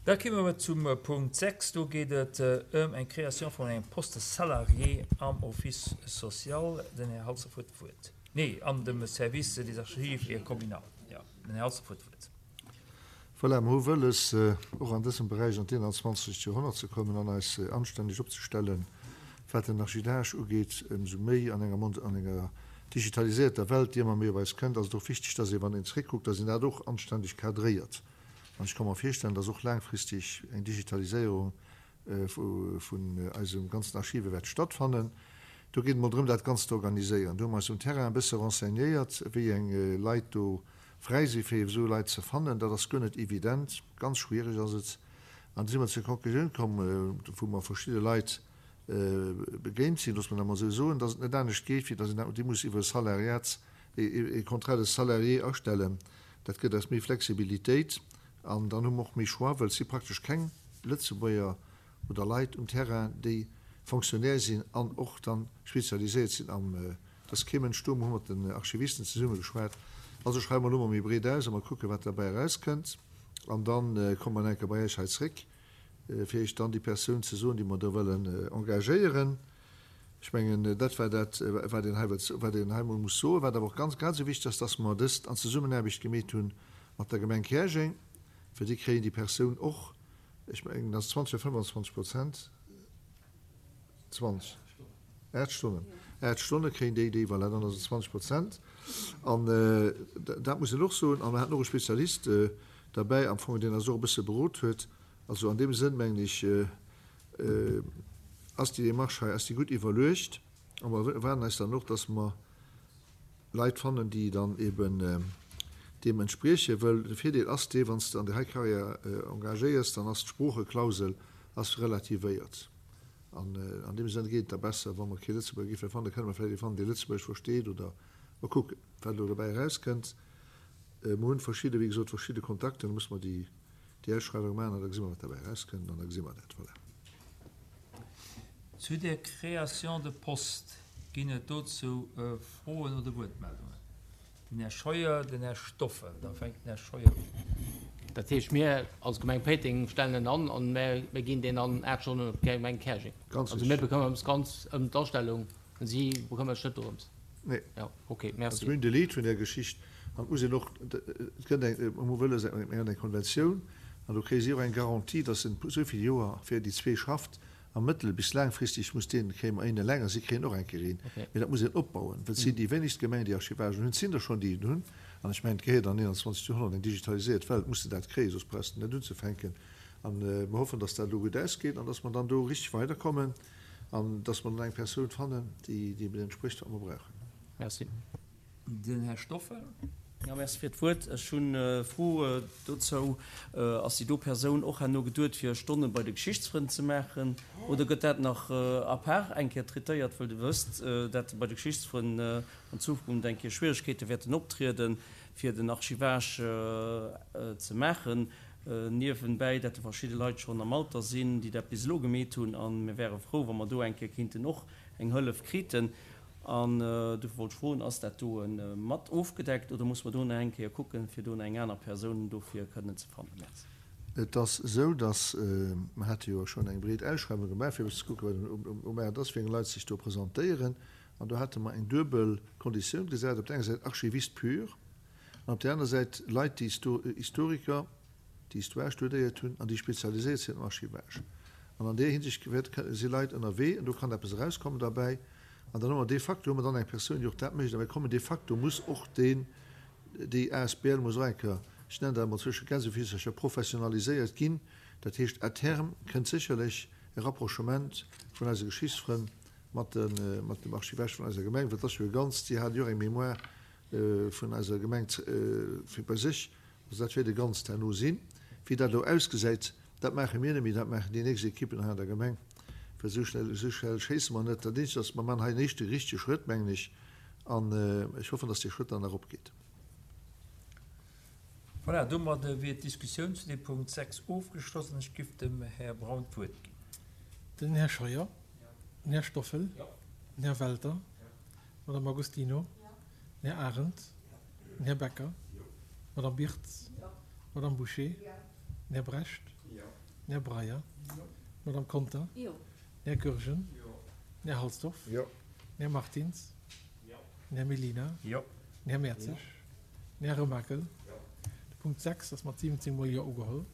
Da komme mer zum Punkt 6. Do geet et ëm eng Création vun engem Poste salarié am Office social. Den Här Halsdorf huet d'Wuert. Nee, an dem Service des Archives et communal. Jo, den Här Halsdorf huet d'Wuert. Voilà, mer hu wëlles, och an dësem Beräich an d'Eenanzwanzegt Joerhonnert ze kommen an eis anstänneg opzestellen, wat den Archivage ugeet. Ëmsou méi an enger mond-, an enger digitalisierter Welt, déi ëmmer méi op eis kënnt, ass et och wichteg, dass ee, wann een zréckkuckt, dass een dat och anstänneg cadréiert. An ech ka mer virstellen, dass och laangfristeg eng Digitaliséierung vun eisem ganzen Archive wäert stattfannen. Do geet et mol drëm, dat Ganzt ze organiséieren. Do hu mer eis um Terrain e bësse renseignéiert, wéi eng Leit do fräi si fir esou Leit ze fannen. Dat ass guer net evident, ganz schwiereg ass et. An du si mer zur Conclusioun komm, wou mer verschidde Leit begéint sinn, loosse mer dat mol esou soen, datt et net anescht geet, wéi datt een dat déi muss iwwer e Salariat, e Contrat de salarié astellen. Dat gëtt eis méi Flexibilitéit an dann hu mer och méi Choix, well et si praktesch keng Lëtzebuerger oder Leit um Terrain, déi Fonctionnaire sinn an och dann spezialiséiert sinn am Et ass kee Mënsch do. Mer hu mat den Archivisten zesumme geschwat. Also schreiwe mer elo mol méi breet aus a mer kucken, wat derbäi erauskënnt. An da komme mer nach eng Kéier bei Iech hei zréck, fir Iech dann déi Persoun ze soen, déi mer do wëllen engagéieren. Ech mengen, dat war dat, wat een hei wëllt, wat een hei mol muss soen. Wat awer och ganz, grad esou wichteg ass, dass mer dëst an Zesummenaarbecht gemeet hu mat der Gemeng Käerjeng, well déi kréien déi Persoun och, ech mengen, dat ass 20 oder 25 Prozent, 20, 8 Stonnen, 8 Stonne kréien déi déi, voilà, dann ass et 20 Prozent. An dat muss een och soen. An mer haten och e Spezialist derbäi am Fong, deen eis och e bësse berot huet. Also an deem Sënn, mengen ech, ass déi Démarche hei, ass déi gutt iwwerluecht. A mer erwaarden eis dann och, dass mer Leit fannen, déi dann eben deem entspriechen, wëll de Virdeel ass dee, wann s de an déi hei Carrière engagéiers, dann ass d'Sproocheklausel ass relativéiert. An an deem Sënn geet et da besser, wa mer kee Lëtzebuerger géife fannen, da kënne mer vläicht ee fannen, dee Lëtzebuergesch versteet oder mer kucken, wat elo dobäi erauskënnt. Mer hunn verschidde, wéi gesot, verschidde Kontakter, da musse mer déi déi Ausschreiwung maachen an da gesi mer, wat dobäi erauskënnt an da gesi mer dat. Voilà. Zu der Création de poste, ginn et dozou Froen oder Wuertmeldungen? Den Här Scheuer, den Här Stoffel. Da fänkt den Här Scheuer un. Dat heescht, mir als Gemeng Péiteng stellen en an an mir ginn deen an 8 Stonnen op d'Gemeng Käerjeng. Also mir bekëmmern ons ganz ëm d'Astellung, si bekëmmert sech net dorëms. Nee. Jo, okay, merci. Also mir hunn de Lead vun där Geschicht an et muss een och, et gëtt eng, mer hu wëlles, mir hunn eng Konventioun an do kréie si och eng Garantie, datt en esou vill Joer fir déi zwee schafft a mëttel bis laangfristeg muss deen, kréie mer een eleng a si kréien och eng Kéier een. Mee dat muss een opbauen, well et sinn déi wéinegst Gemengen, déi Archivagen hunn. Et sinn der schonn, déi en hunn. An ech mengen, et gehéiert an 21. Joerhonnert, eng digitaliséiert Welt, muss de dat kréien, soss brauchs de net unzefänken. An mer hoffen, datt dat elo gutt ausgeet an datt mer dann do richteg weiderkommen an datt mer dann eng Persoun fannen, déi deem entsprécht, wat mer brauchen. Merci. Den Här Stoffel. Jo, merci fir d'Wuert. Ech hunn e Fro dozou. Ass déi do Persoun och herno geduet, fir Stonne bei de Geschichtsfrënn ze maachen, oder gëtt dat nach à part eng Kéier traitéiert? Wëll Der wësst, dat bei de Geschichtsfrënn an Zukunft eng Kéier Schwieregkeete wäerten optrieden, fir den Archivage ze maachen, niewenbäi dat der verschidde Leit schonn am Alter sinn, déi dat bis elo gemeet hunn. A mir wäre frou, wa mer do eng Kéier kéinten och eng Hëllef kriten. An dofir wollt ech froen, Ass dat do mat ofgedeckt oder muss mer do nach eng Kéier kucken, fir do nach eng aner Persoun dofir kënnen ze fannen? Merci. Et ass esou, datt, mer hate jo schonn eng breet Ausschreiwung gemaach, fir e bëssen ze kucken, wat um Maart ass, wéi eng Leit sech do presentéieren. An do hate mer eng duebel Konditioun gesat, op der enger Säit Archiviste pur an op där aner Säit Leit, déi Historiker, déi Histoire studéiert hunn an déi spezialiséiert sinn am Archivage. An an där Hinsicht si Leit ënnerwee an do kann eppes erauskommen derbäi. An dann hu mer de facto hu mer dann eng Persoun, déi och dat mécht. A mir kommen de facto muss och deen, déi asbl muss och eng Kéier, ech nennen dat emol zwësche Gänsefissercher, professionaliséiert ginn. Dat heescht, à terme kënnt sécherlech e Rapprochement vun eise Geschichtsfrënn mat de, mat dem Archivage vun eiser Gemeng, well et ass jo e Ganzt, si halen jo och eng Mémoire vun eiser Gemeng fir bei sech. Also dat wäert e Ganzt herno sinn. Wéi dat elo ausgesäit, dat maache mir net méi, dat maachen déi nächst Ekippen hei an der Gemeng, well esou schnell, esou schnell schéisse mer net. Dat eenzegt ass, mer maachen hei en éischte richtege Schrëtt, mengen ech, an ech hoffen, dass dee Schrëtt dann nach opgeet. Voilà, domadde wier d'Diskussioun zu deem Punkt 6 ofgeschloss an ech giff dem Här Braun d'Wuert ginn. Den Här Scheuer, den Här Stoffel, den Här Welter, d'Madame Agostino, den Här Arendt, den Här Becker, d'Madame Birtz, d'Madame Bouché, den Här Brecht, Jo. Den Här Breyer. D'Madame Conter. Den Här Goergen. Den Här Halsdorf. Den Här Martins. Den Här Mellina. Den Här Mertzig. Den Här Remakel. De Punkt 6 ass mat 17 mol Jo ugeholl.